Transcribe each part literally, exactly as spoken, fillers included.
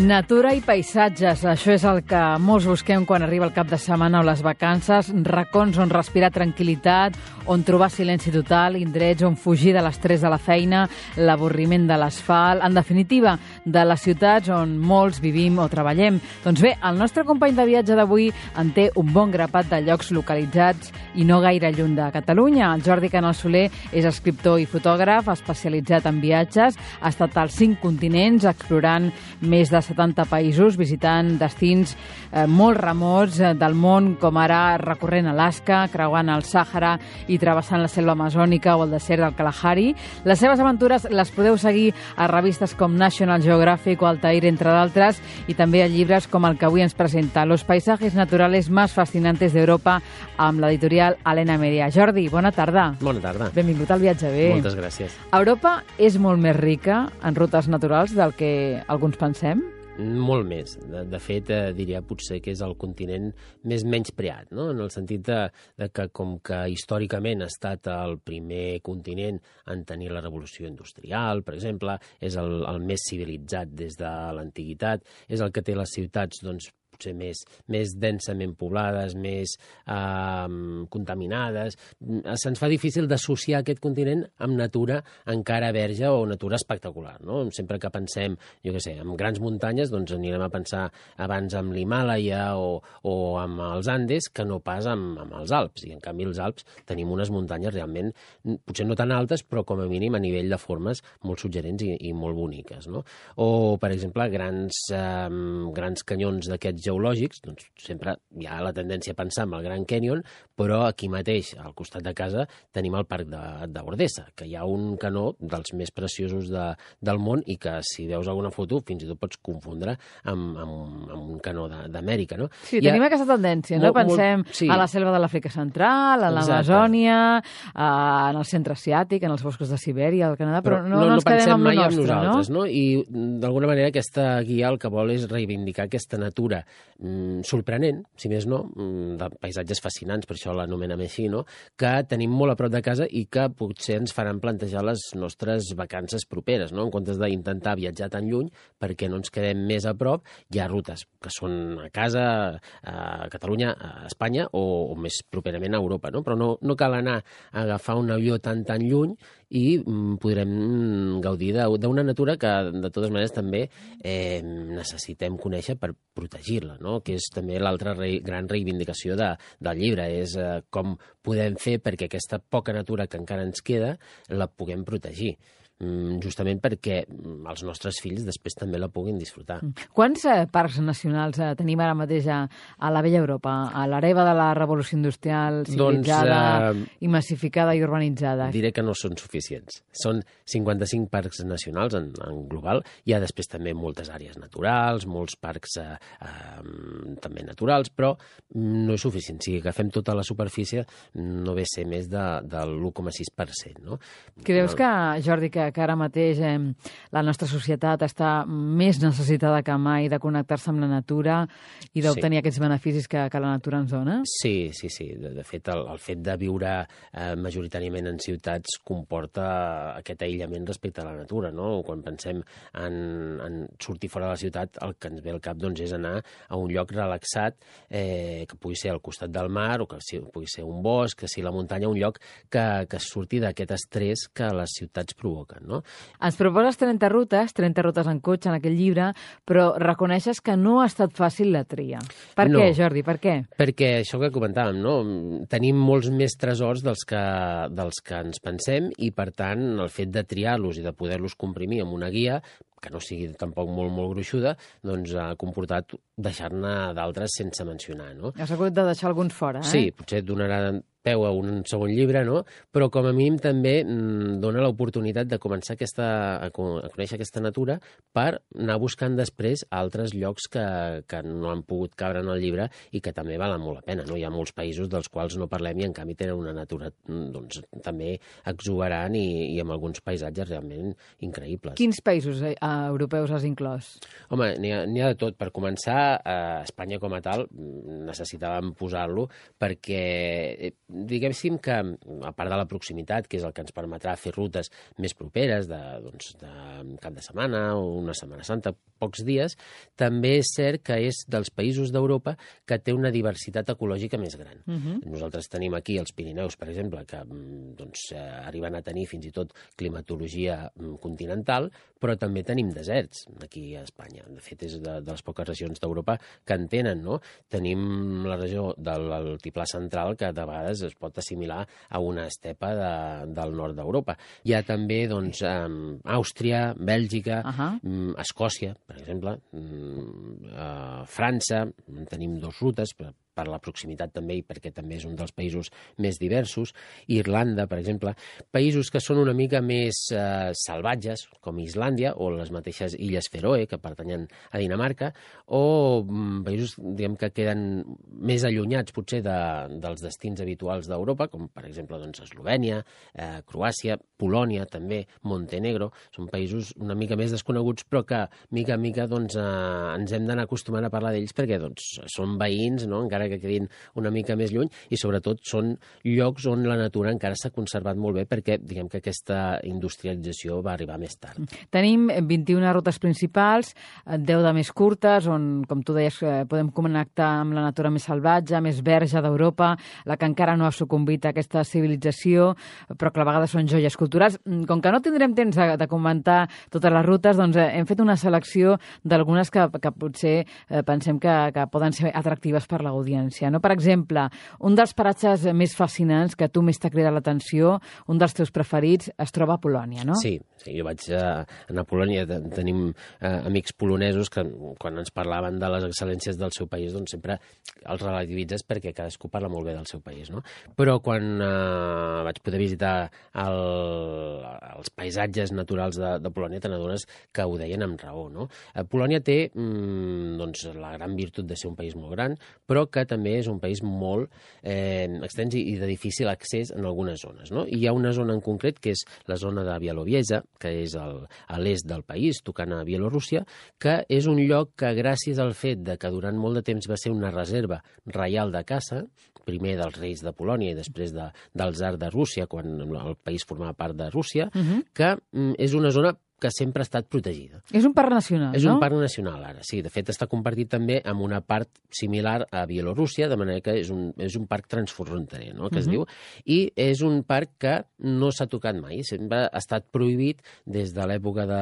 Natura i paisatges, això és el que molts busquem quan arriba el cap de setmana o les vacances, racons on respirar tranquil·litat, on trobar silenci total, indrets on fugir de l'estrès de la feina, l'avorriment de l'asfalt, en definitiva, de les ciutats on molts vivim o treballem. Doncs bé, el nostre company de viatge d'avui en té un bon grapat de llocs localitzats i no gaire lluny de Catalunya. El Jordi Canal Soler és escriptor i fotògraf especialitzat en viatges, ha estat als cinc continents explorant més de setanta països, visitant destins eh, molt remots eh, del món, com ara recorrent Alaska, creuant el Sàhara i travessant la selva amazònica o el desert del Kalahari. Les seves aventures les podeu seguir a revistes com National Geographic o Altair, entre d'altres, i també a llibres com el que avui ens presenta, Los paisajes naturales más fascinantes d'Europa, amb l'editorial Alena Media. Jordi, bona tarda. Bona tarda. Benvingut al Viatge Bé. Moltes gràcies. Europa és molt més rica en rutes naturals del que alguns pensem? Molt més. De, de fet, eh, diria potser que és el continent més menyspreat, no? En el sentit de, de que, com que històricament ha estat el primer continent en tenir la revolució industrial, per exemple, és el, el més civilitzat des de l'antiguitat, és el que té les ciutats, doncs, potser més, més densament poblades, més eh, contaminades. Se'ns fa difícil d'associar aquest continent amb natura encara verge o natura espectacular, no? Sempre que pensem, jo què sé, en grans muntanyes, doncs anirem a pensar abans amb l'Himàlaia o, o amb els Andes que no pas amb, amb els Alps. I en canvi els Alps tenim unes muntanyes realment, potser no tan altes, però com a mínim a nivell de formes molt suggerents i, i molt boniques, no? O, per exemple, grans, eh, grans canyons d'aquests geològics, doncs sempre hi ha la tendència a pensar en el Grand Canyon, però aquí mateix, al costat de casa, tenim el parc d'Ordesa, que hi ha un canó dels més preciosos de, del món i que, si veus alguna foto, fins i tot pots confondre amb, amb, amb un canó d'Amèrica, no? Sí, tenim ha... aquesta tendència, no? Molt, Pensem molt, sí. a la selva de l'Àfrica Central, a l'Amazònia, en el centre asiàtic, en els boscos de Sibèria, al Canadà, però, però no, no, no ens quedem amb el nostre, nosaltres, no? no? I, d'alguna manera, aquesta guia el que vol és reivindicar aquesta natura mm, sorprenent, si més no, mm, de paisatges fascinants, per això l'anomenem així, no? Que tenim molt a prop de casa i que potser ens faran plantejar les nostres vacances properes, no? En comptes d'intentar viatjar tan lluny, perquè no ens quedem més a prop, hi ha rutes que són a casa, a Catalunya, a Espanya o, o més properament a Europa, no? Però no, no cal anar a agafar un avió tan tan lluny i mm, podrem gaudir d'una natura que, de totes maneres, també eh, necessitem conèixer per protegir-la, no? Que és també l'altra rei, gran reivindicació de, del llibre, és eh, com podem fer perquè aquesta poca natura que encara ens queda la puguem protegir, justament perquè els nostres fills després també la puguin disfrutar. Quants eh, parcs nacionals eh, tenim ara mateix a, a la vella Europa, a l'hereva de la revolució industrial, civilitzada, doncs, eh, i massificada i urbanitzada? Diré que no són suficients. Són cinquanta-cinc parcs nacionals en, en global. Hi ha després també moltes àrees naturals, molts parcs eh, eh, també naturals, però no és suficient. Si agafem tota la superfície, no ve a ser més de, de l'u coma sis per cent. No? Creus que, Jordi, que que ara mateix eh, la nostra societat està més necessitada que mai de connectar-se amb la natura i d'obtenir sí. aquests beneficis que, que la natura ens dona? Sí, sí, sí. De, de fet, el, el fet de viure eh, majoritàriament en ciutats comporta aquest aïllament respecte a la natura, no? Quan pensem en, en sortir fora de la ciutat, el que ens ve al cap doncs, és anar a un lloc relaxat, eh, que pugui ser al costat del mar o que sí, pugui ser un bosc, que sigui la muntanya, un lloc que, que surti d'aquest estrès que les ciutats provoquen. No? Ens proposes trenta rutes, trenta rutes en cotxe en aquell llibre, però reconeixes que no ha estat fàcil la tria. Per no. què, Jordi, per què? Perquè això que comentàvem, no? Tenim molts més tresors dels que, dels que ens pensem i, per tant, el fet de triar-los i de poder-los comprimir amb una guia que no sigui tampoc molt, molt gruixuda, doncs ha comportat deixar-ne d'altres sense mencionar, no? Has hagut de deixar alguns fora, eh? Sí, potser et donarà peu a un segon llibre, no? Però com a mínim també mm, dona l'oportunitat de començar aquesta, a, a conèixer aquesta natura per anar buscant després altres llocs que, que no han pogut cabre en el llibre i que també valen molt la pena, no? Hi ha molts països dels quals no parlem i en canvi tenen una natura doncs, també exuberant i, i amb alguns paisatges realment increïbles. Quins països eh, europeus has inclòs? Home, n'hi ha, n'hi ha de tot. Per començar, eh, Espanya com a tal necessitàvem posar-lo perquè diguéssim que, a part de la proximitat, que és el que ens permetrà fer rutes més properes, de, doncs, de cap de setmana o una Setmana Santa, pocs dies, també és cert que és dels països d'Europa que té una diversitat ecològica més gran. Uh-huh. Nosaltres tenim aquí els Pirineus, per exemple, que doncs, arriben a tenir fins i tot climatologia continental, però també tenim deserts aquí a Espanya. De fet, és de, de les poques regions d'Europa que en tenen, no? Tenim la regió de l'altiplà central, que de vegades es pot assimilar a una estepa de, del nord d'Europa. Hi ha també doncs, Àustria, Bèlgica, uh-huh. Escòcia, per exemple, a França, tenim dues rutes, per, per la proximitat també i perquè també és un dels països més diversos, Irlanda, per exemple, països que són una mica més eh, salvatges, com Islàndia o les mateixes Illes Feroe, que pertanyen a Dinamarca, o mm, països diguem, que queden més allunyats potser de, dels destins habituals d'Europa, com per exemple doncs, Eslovènia, eh, Croàcia, Polònia, també Montenegro, són països una mica més desconeguts, però que mica en mica doncs, eh, ens hem d'anar acostumant a parlar d'ells perquè doncs, són veïns, no? Encara que quedin una mica més lluny, i sobretot són llocs on la natura encara s'ha conservat molt bé perquè diguem que aquesta industrialització va arribar més tard. Tenim vint-i-una rutes principals, deu de més curtes, on, com tu deies, podem connectar amb la natura més salvatge, més verge d'Europa, la que encara no ha sucumbit a aquesta civilització, però que a vegades són joies culturals. Com que no tindrem temps de, de comentar totes les rutes, doncs hem fet una selecció d'algunes que, que potser eh, pensem que, que poden ser atractives per l'audiència. No? Per exemple, un dels paratges més fascinants que a tu més t'ha cridat l'atenció, un dels teus preferits, es troba a Polònia, no? Sí, sí, jo vaig a, anar a Polònia, tenim eh, amics polonesos que quan ens parlaven de les excel·lències del seu país, doncs sempre els relativitzes perquè cadascú parla molt bé del seu país, no? Però quan eh, vaig poder visitar el, els paisatges naturals de, de Polònia, te n'adones que ho deien amb raó, no? Eh, Polònia té mm, doncs, la gran virtut de ser un país molt gran, però que també és un país molt eh, extens i de difícil accés en algunes zones, no? I hi ha una zona en concret, que és la zona de Bielorússia, que és el, a l'est del país, tocant a Bielorússia, que és un lloc que, gràcies al fet de que durant molt de temps va ser una reserva reial de caça, primer dels reis de Polònia i després de, del tsar de Rússia, quan el país formava part de Rússia, uh-huh. que mm, és una zona que sempre ha estat protegida. És un parc nacional, és no? És un parc nacional, ara, sí. De fet, està compartit també amb una part similar a Bielorússia, de manera que és un, és un parc transfronterer, no?, que uh-huh. es diu, i és un parc que no s'ha tocat mai. Sempre ha estat prohibit, des de l'època de,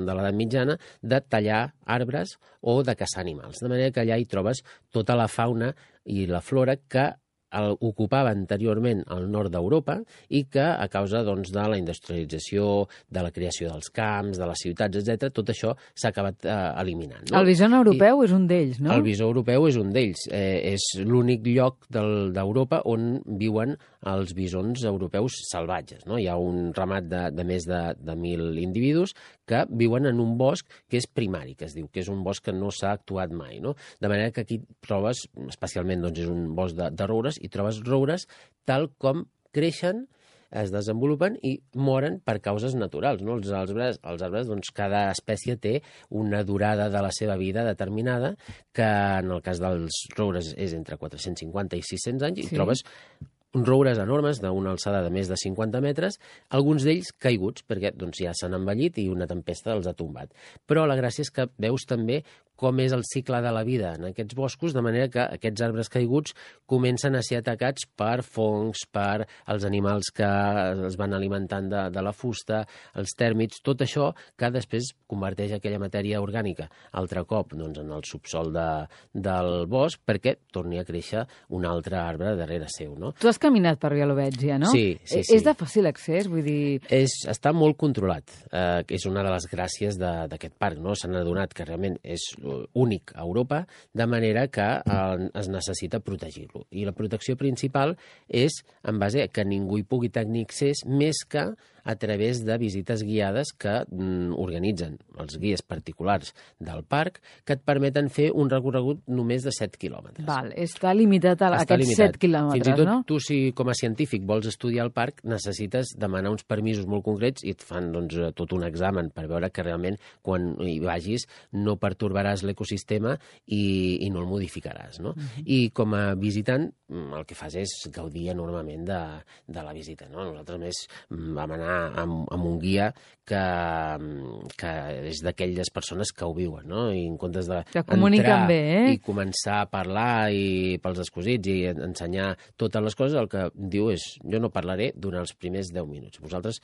de l'edat mitjana, de tallar arbres o de caçar animals. De manera que allà hi trobes tota la fauna i la flora que el, ocupava anteriorment el nord d'Europa i que, a causa doncs, de la industrialització, de la creació dels camps, de les ciutats, etcètera, tot això s'ha acabat eh, eliminant. No? El bison europeu I, és un d'ells, no? El bison europeu és un d'ells. Eh, és l'únic lloc d'Europa on viuen els bisons europeus salvatges. No? Hi ha un ramat de, de més de, de mil individus que viuen en un bosc que és primari, que es diu, que és un bosc que no s'ha actuat mai. No? De manera que aquí trobes, especialment doncs, és un bosc de, de roures, i trobes roures tal com creixen, es desenvolupen i moren per causes naturals. No? Els arbres, els arbres doncs, cada espècie té una durada de la seva vida determinada, que en el cas dels roures és entre quatre-cents cinquanta i sis-cents anys, sí. I trobes uns roures enormes d'una alçada de més de cinquanta metres, alguns d'ells caiguts, perquè doncs, ja s'han envellit i una tempesta els ha tombat. Però la gràcia és que veus també com és el cicle de la vida en aquests boscos, de manera que aquests arbres caiguts comencen a ser atacats per fongs, per els animals que es van alimentant de, de la fusta, els tèrmits, tot això que després converteix aquella matèria orgànica altre cop doncs, en el subsol de, del bosc perquè torni a créixer un altre arbre darrere seu. No? Tu has caminat per Bielorússia, no? Sí, sí, sí. És de fàcil accés? Vull dir... És, està molt controlat. Eh, és una de les gràcies d'aquest parc. No? S'han adonat que realment és únic a Europa, de manera que eh, es necessita protegir-lo. I la protecció principal és en base a que ningú hi pugui tenir accés més que a través de visites guiades que mm, organitzen els guies particulars del parc, que et permeten fer un recorregut només de set quilòmetres. Val, està limitat a està aquests limitat. set quilòmetres, Fins i tot no? tu, si com a científic vols estudiar el parc, necessites demanar uns permisos molt concrets i et fan doncs, tot un examen per veure que realment quan hi vagis no pertorbaràs l'ecosistema i, i no el modificaràs. No? Uh-huh. I com a visitant el que fas és gaudir enormement de, de la visita. No? Nosaltres més vam anar amb, amb un guia que, que és d'aquelles persones que ho viuen, no? I en comptes de que comuniquen bé, eh? I començar a parlar i pels escosits i ensenyar totes les coses, el que diu és jo no parlaré durant els primers deu minuts. Vosaltres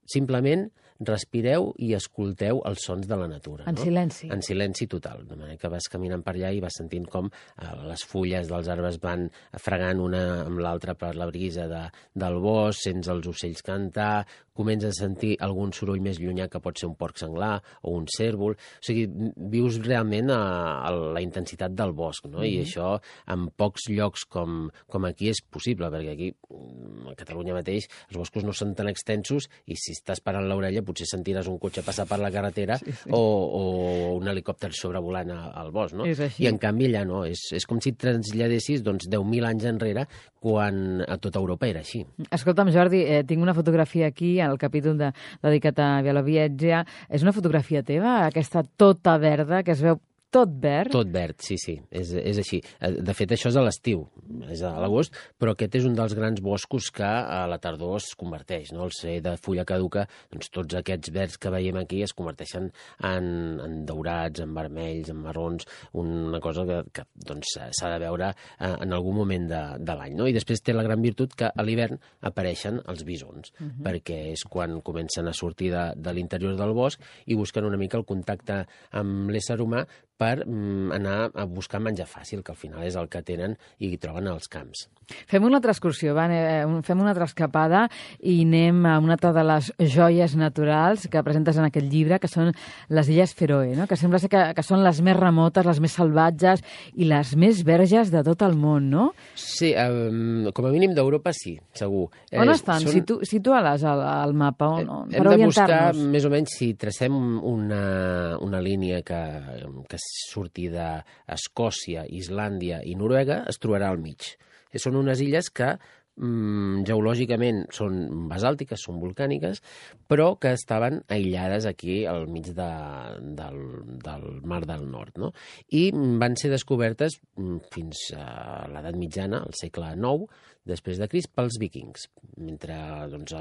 simplement respireu i escolteu els sons de la natura. En no? silenci. En silenci total. De manera que vas caminant per allà i vas sentint com eh, les fulles dels arbres van fregant una amb l'altra per la brisa de, del bosc, sents els ocells cantar, comences a sentir algun soroll més llunyà que pot ser un porc senglar o un cérvol. O sigui, vius realment a, a la intensitat del bosc, no? Mm-hmm. I això en pocs llocs com, com aquí és possible, perquè aquí, a Catalunya mateix, els boscos no són tan extensos i si estàs parant l'orella potser sentiràs un cotxe passar per la carretera sí, sí. O, o un helicòpter sobrevolant al bosc, no? I en canvi allà no, és, és com si et traslladessis doncs, deu mil anys enrere quan a tota Europa era així. Escolta'm, Jordi, eh, tinc una fotografia aquí, al capítol de, dedicat a Bielorússia. És una fotografia teva, aquesta tota verda, que es veu tot verd? Tot verd, sí, sí, és, és així. De fet, això és a l'estiu, és a l'agost, però aquest és un dels grans boscos que a la tardor es converteix, no? Al ser de fulla caduca, doncs tots aquests verds que veiem aquí es converteixen en, en daurats, en vermells, en marrons, una cosa que, que doncs, s'ha de veure en algun moment de, de l'any, no? I després té la gran virtut que a l'hivern apareixen els bisons, uh -huh. perquè és quan comencen a sortir de, de l'interior del bosc i busquen una mica el contacte amb l'ésser humà per mm, anar a buscar menjar fàcil, que al final és el que tenen i troben als camps. Fem una altra excursió, va, fem una altra escapada i anem a una altra de les joies naturals que presentes en aquest llibre, que són les Illes Fèroe, no? Que sembla ser que, que són les més remotes, les més salvatges i les més verges de tot el món, no? Sí, um, com a mínim d'Europa sí, segur. On eh, estan? Són... Situ Situa-les al, al mapa, on, on, Hem de buscar, més o menys, si tracem una, una línia que, que surti d'Escòcia, Islàndia i Noruega, es trobarà al mig. Són unes illes que mm, geològicament són basàltiques, són volcàniques, però que estaven aïllades aquí al mig de, del, del Mar del Nord, no? I van ser descobertes fins a l'edat mitjana, al segle nou, després de Crist, pels vikings. Mentre doncs,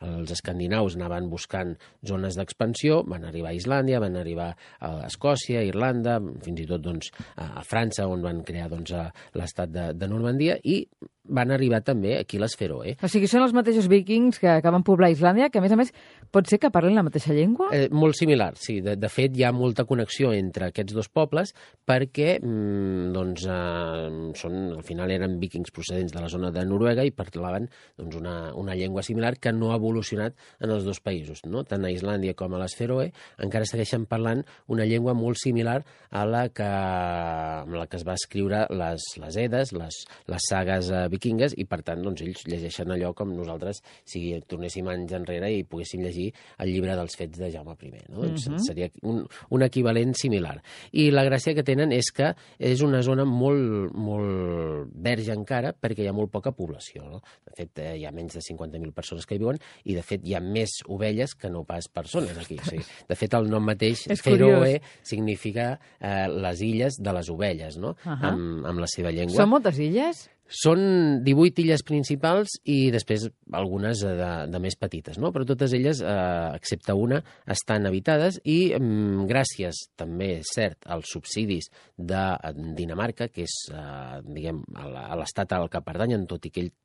els escandinaus anaven buscant zones d'expansió, van arribar a Islàndia, van arribar a Escòcia, a Irlanda, fins i tot doncs, a França, on van crear doncs, l'estat de, de Normandia, i van arribar també aquí les Fèroe. O sigui, són els mateixos vikings que, que van poblar Islàndia, que a més a més pot ser que parlen la mateixa llengua? Eh, molt similar, sí. De, de fet, hi ha molta connexió entre aquests dos pobles perquè mm, doncs, eh, són, al final eren vikings procedents de la zona de Noruega i parlaven doncs, una, una llengua similar que no ha evolucionat en els dos països, no? Tant a Islàndia com a les Fèroe encara segueixen parlant una llengua molt similar a la que, amb la que es va escriure les, les Edes, les, les sagues eh, vikingues, i per tant doncs, ells llegeixen allò com nosaltres si tornéssim anys enrere i poguéssim llegir el llibre dels fets de Jaume I. No? Doncs uh-huh. Seria un, un equivalent similar. I la gràcia que tenen és que és una zona molt, molt verge encara perquè hi ha molt poca població. No? De fet, eh, hi ha menys de cinquanta mil persones que hi viuen i, de fet, hi ha més ovelles que no pas persones aquí. O sigui, de fet, el nom mateix, Fèroe, significa eh, les illes de les ovelles, no? Uh -huh. amb, amb la seva llengua. Són moltes illes? Són divuit illes principals i després algunes de, de més petites, no? Però totes elles, eh, excepte una, estan habitades i mm, gràcies, també és cert, als subsidis de Dinamarca, que és, eh, diguem, a l'estat al que pertanyen, tot i que ells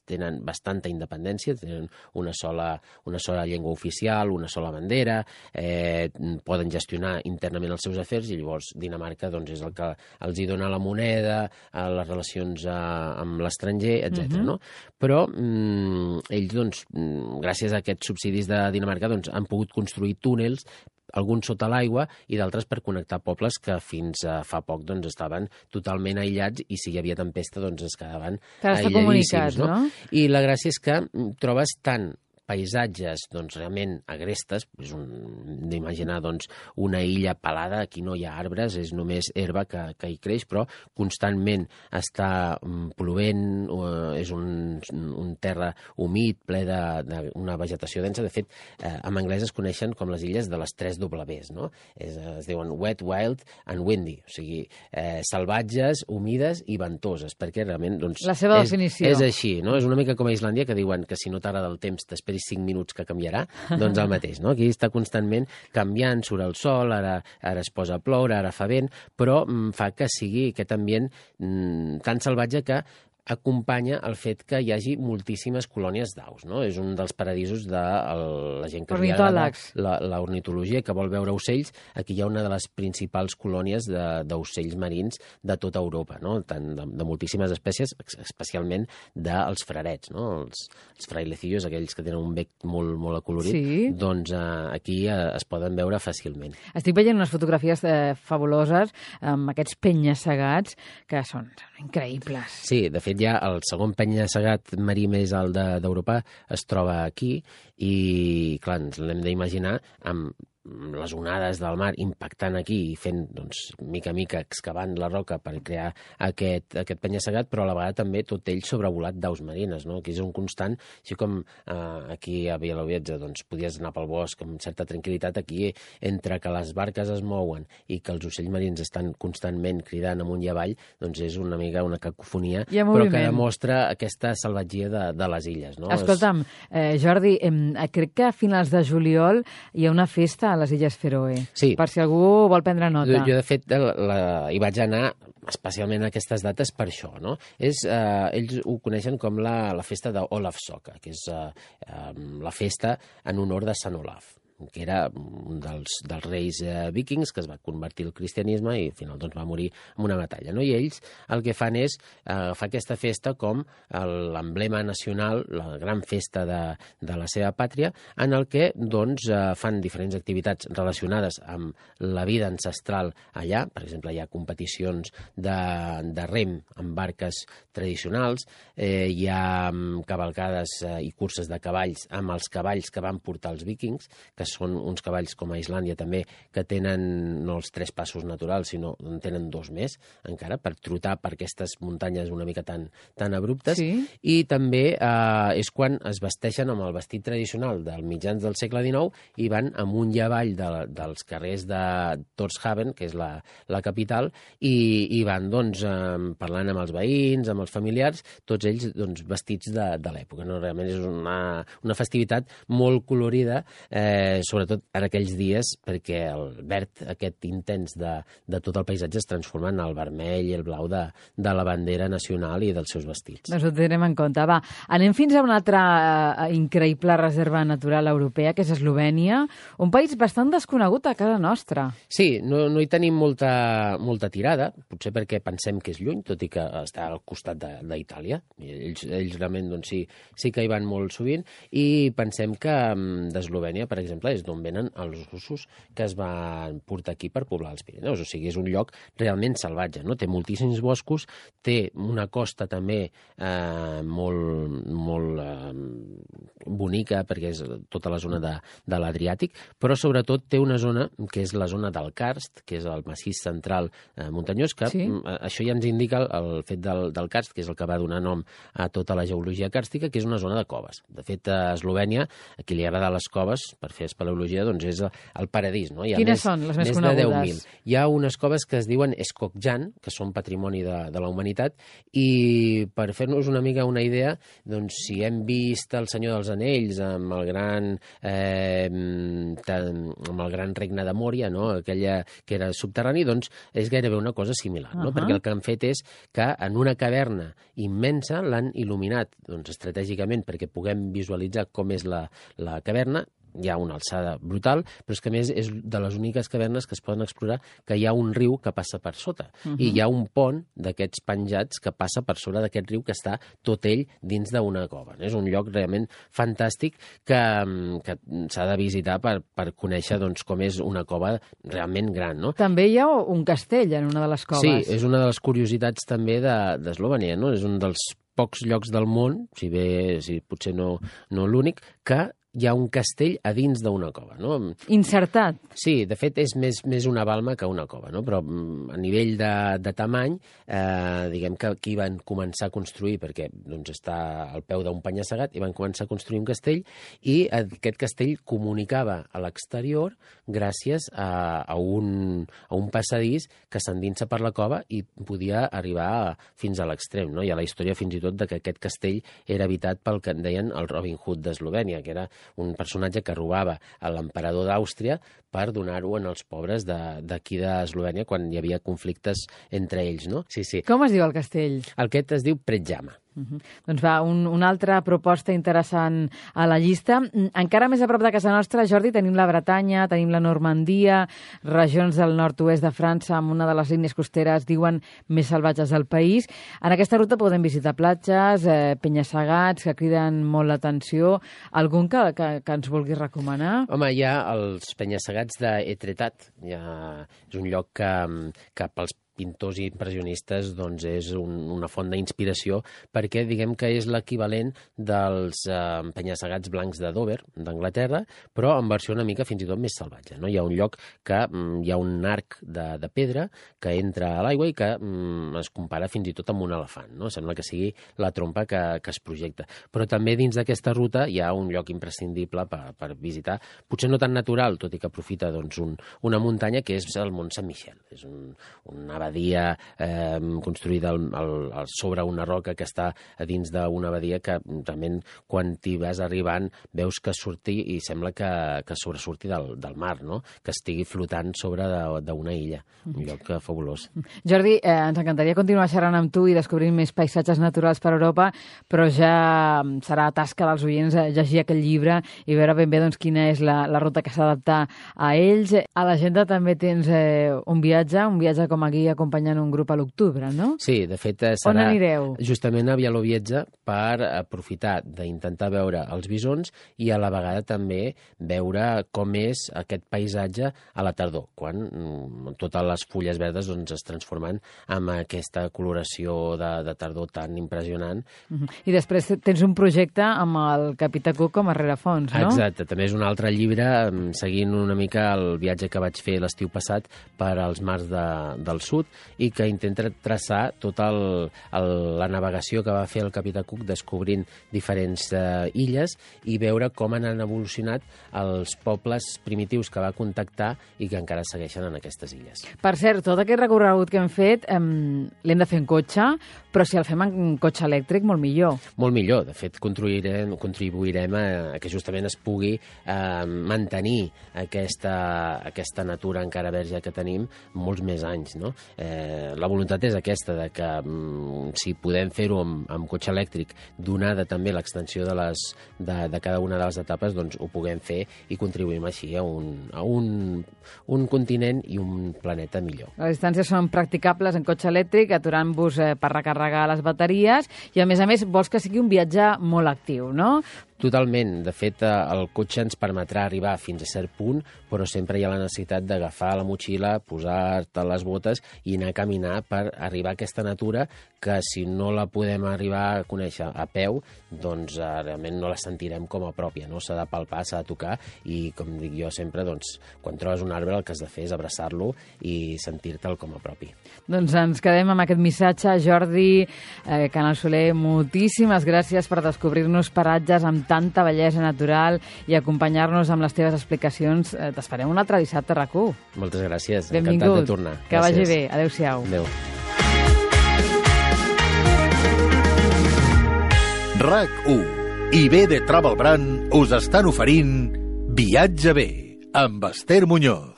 tenen bastanta independència, tenen una sola, una sola llengua oficial, una sola bandera, eh, poden gestionar internament els seus afers i llavors Dinamarca doncs, és el que els hi dona la moneda, les relacions amb l'estranger, etcètera. Uh-huh. No? Però mm, ells, doncs, gràcies a aquests subsidis de Dinamarca, doncs, han pogut construir túnels, alguns sota l'aigua i d'altres per connectar pobles que fins a fa poc doncs, estaven totalment aïllats i si hi havia tempesta doncs, es quedaven aïlladíssims. No? I la gràcia és que trobes tant paisatges doncs, realment agrestes, és un, d'imaginar doncs, una illa pelada, aquí no hi ha arbres, és només herba que, que hi creix, però constantment està plovent, és un, un terra humit, ple d'una vegetació densa. De fet, eh, en anglès es coneixen com les illes de les tres Ws, no? Es, es diuen wet, wild and windy, o sigui, eh, salvatges, humides i ventoses, perquè realment doncs, la seva és, definició. És així, no? És una mica com a Islàndia, que diuen que si no t'agrada el temps t'esperis cinc minuts que canviarà, doncs el mateix, no? Aquí està constantment canviant, surt el sol, ara, ara es posa a ploure, ara fa vent, però mm, fa que sigui aquest ambient mm, tan salvatge que acompanya el fet que hi hagi moltíssimes colònies d'aus, no? És un dels paradisos de el, la gent que li agrada la, la ornitologia, que vol veure ocells. Aquí hi ha una de les principals colònies d'ocells marins de tota Europa, no? Tant de, de moltíssimes espècies, especialment dels frarets, no? Els, els frailecillos, aquells que tenen un bec molt, molt acolorit, sí. Doncs eh, aquí eh, es poden veure fàcilment. Estic veient unes fotografies eh, fabuloses amb aquests penya-segats que són increïbles. Sí, de fet, ja el segon penya-segat marí més alt d'Europa es troba aquí i, clar, ens l'hem d'imaginar amb les onades del mar impactant aquí i fent, doncs, mica a mica excavant la roca per crear aquest, aquest penya-segat, però a la vegada també tot ell sobrevolat d'aus marines, no? Aquí és un constant, així com eh, aquí a Bielowieza, doncs, podies anar pel bosc amb certa tranquil·litat, aquí entre que les barques es mouen i que els ocells marins estan constantment cridant amunt i avall, doncs és una mica una cacofonia, però que demostra aquesta salvatgia de, de les illes, no? Escolta'm, eh, Jordi, eh, crec que a finals de juliol hi ha una festa a les Illes Fèroe, sí. Per si algú vol prendre nota. Jo, de fet, la, la, hi vaig anar especialment a aquestes dates per això, no? És, eh, ells ho coneixen com la, la festa d'Olafsøka, que és eh, eh, la festa en honor de Sant Olaf, que era un dels, dels reis eh, vikings que es va convertir al cristianisme i al final doncs, va morir en una batalla, no? I ells el que fan és eh, fa aquesta festa com l'emblema nacional, la gran festa de, de la seva pàtria, en el que doncs, eh, fan diferents activitats relacionades amb la vida ancestral allà. Per exemple, hi ha competicions de, de rem amb barques tradicionals, eh, hi ha cavalcades eh, i curses de cavalls amb els cavalls que van portar els vikings, que són uns cavalls com a Islàndia també, que tenen no els tres passos naturals, sinó en tenen dos més, encara, per trotar per aquestes muntanyes una mica tan, tan abruptes. Sí. I també eh, és quan es vesteixen amb el vestit tradicional dels mitjans del segle dinou i van amunt i avall de, dels carrers de Tórshavn, que és la, la capital, i, i van doncs, eh, parlant amb els veïns, amb els familiars, tots ells doncs, vestits de, de l'època. No? Realment és una, una festivitat molt colorida, eh, sobretot en aquells dies, perquè el verd aquest intens de, de tot el paisatge es transforma en el vermell i el blau de, de la bandera nacional i dels seus vestits. Doncs ho tindrem en compte. Va, anem fins a una altra uh, increïble reserva natural europea, que és Eslovènia, un país bastant desconegut a casa nostra. Sí, no, no hi tenim molta, molta tirada, potser perquè pensem que és lluny, tot i que està al costat d'Itàlia. Ells, ells realment doncs, sí, sí que hi van molt sovint, i pensem que d'Eslovènia, per exemple, és d'on venen els russos que es van portar aquí per poblar els Pirineus. O sigui, és un lloc realment salvatge, no? Té moltíssims boscos, té una costa també eh, molt, molt eh, bonica, perquè és tota la zona de, de l'Adriàtic, però sobretot té una zona que és la zona del Karst, que és el massís central eh, muntanyós, que sí? Això ja ens indica el fet del, del Karst, que és el que va donar nom a tota la geologia càrstica, que és una zona de coves. De fet, a Eslovènia, a qui li agrada les coves, per fer espeleologia, doncs és el paradís. No? Hi ha Quines més, són les més, més conegudes? De deu mil. Hi ha unes coves que es diuen Skogjan, que són patrimoni de, de la humanitat, i per fer-nos una mica una idea, doncs si hem vist El Senyor dels Anells amb el gran, eh, amb el gran regne de Mòria, no? Aquella que era subterrani, doncs és gairebé una cosa similar, no? Uh -huh. Perquè el que han fet és que en una caverna immensa l'han il·luminat doncs, estratègicament perquè puguem visualitzar com és la, la caverna. Hi ha una alçada brutal, però és que a més és de les úniques cavernes que es poden explorar que hi ha un riu que passa per sota. Uh -huh. I hi ha un pont d'aquests penjats que passa per sobre d'aquest riu que està tot ell dins d'una cova. És un lloc realment fantàstic que, que s'ha de visitar per, per conèixer doncs, com és una cova realment gran. No? També hi ha un castell en una de les coves. Sí, és una de les curiositats també d'Eslovènia, no? És un dels pocs llocs del món, si bé si potser no, no l'únic, que hi ha un castell a dins d'una cova, no? Insertat? Sí, de fet és més, més una balma que una cova, no? Però a nivell de, de tamany, eh, diguem que aquí van començar a construir, perquè doncs, està al peu d'un penya-segat, i van començar a construir un castell, i aquest castell comunicava a l'exterior gràcies a, a, un, a un passadís que s'endinsa per la cova i podia arribar fins a l'extrem, no? Hi ha la història fins i tot de que aquest castell era habitat pel que en deien el Robin Hood d'Eslovènia, que era un personatge que robava a l'emperador d'Àustria per donar-ho als pobres d'aquí de, d'Eslovènia quan hi havia conflictes entre ells, no? Sí, sí. Com es diu el castell? Aquest es diu Predjama. Uh -huh. Doncs va, un, una altra proposta interessant a la llista. Encara més a prop de casa nostra, Jordi, tenim la Bretanya, tenim la Normandia, regions del nord-oest de França amb una de les línies costeres, diuen, més salvatges del país. En aquesta ruta podem visitar platges, eh, penya-segats que criden molt l'atenció. Algun que, que, que ens vulguis recomanar? Home, hi ha els penya-segats d'Etretat. Ha... És un lloc que, que pels pintors i impressionistes doncs és un, una font d'inspiració perquè diguem que és l'equivalent dels eh, penya-segats blancs de Dover, d'Anglaterra, però en versió una mica fins i tot més salvatge, no? Hi ha un lloc que mm, hi ha un arc de, de pedra que entra a l'aigua i que mm, es compara fins i tot amb un elefant, no? Sembla que sigui la trompa que, que es projecta. Però també dins d'aquesta ruta hi ha un lloc imprescindible per, per visitar, potser no tan natural, tot i que aprofita doncs, un, una muntanya que és el Mont Saint-Michel. És un, una abadia eh, construïda al, al, al, sobre una roca que està a dins d'una abadia que realment quan t'hi vas arribant veus que surti i sembla que, que sobresurti del, del mar, no? Que estigui flotant sobre d'una illa. Un lloc fabulós. Jordi, eh, ens encantaria continuar xerrant amb tu i descobrint més paisatges naturals per Europa, però ja serà tasca dels oients llegir aquell llibre i veure ben bé doncs, quina és la, la ruta que s'ha d'adaptar a ells. A l'agenda també tens eh, un viatge, un viatge com a guia acompanyant un grup a l'octubre, no? Sí, de fet serà On anireu? Justament a Bialowieza per aprofitar d'intentar veure els bisons i a la vegada també veure com és aquest paisatge a la tardor, quan mm, totes les fulles verdes doncs, es transformen en aquesta coloració de, de tardor tan impressionant. Uh-huh. I després tens un projecte amb el Capità Cook com a rerefons, no? Exacte, també és un altre llibre seguint una mica el viatge que vaig fer l'estiu passat per als mars de, del sud i que intenta traçar tota la navegació que va fer el Capità Cook descobrint diferents eh, illes i veure com han evolucionat els pobles primitius que va contactar i que encara segueixen en aquestes illes. Per cert, tot aquest recorregut que hem fet eh, l'hem de fer en cotxe, però si el fem en cotxe elèctric, molt millor. Molt millor. De fet, contribuirem, contribuirem a, a que justament es pugui eh, mantenir aquesta, aquesta natura encara verge que tenim molts més anys, no? Eh, la voluntat és aquesta, de que mm, si podem fer-ho amb, amb cotxe elèctric, donada també l'extensió de, les, de, de cada una de les etapes, doncs ho puguem fer i contribuïm així a un, a un, un continent i un planeta millor. Les distàncies són practicables en cotxe elèctric, aturant-vos eh, per recarregar les bateries i, a més a més, vols que sigui un viatge molt actiu, no? Totalment. De fet, el cotxe ens permetrà arribar fins a cert punt, però sempre hi ha la necessitat d'agafar la motxilla, posar-te les botes i anar a caminar per arribar a aquesta natura que si no la podem arribar a conèixer a peu, doncs eh, realment no la sentirem com a pròpia, no? S'ha de palpar, s'ha de tocar i, com dic jo sempre, doncs, quan trobes un arbre el que has de fer és abraçar-lo i sentir-te'l com a propi. Doncs ens quedem amb aquest missatge. Jordi, eh, Canal Soler, moltíssimes gràcies per descobrir-nos paratges amb tanta bellesa natural i acompanyar-nos amb les teves explicacions. Eh, T'esperem un altre dissabte a RAC u. Moltes gràcies. Benvingut. Encantat de tornar. Que gràcies. vagi bé. Adéu-siau. Adéu. RAC u i B de Travel Brand us estan oferint Viatge bé amb Esther Muñoz.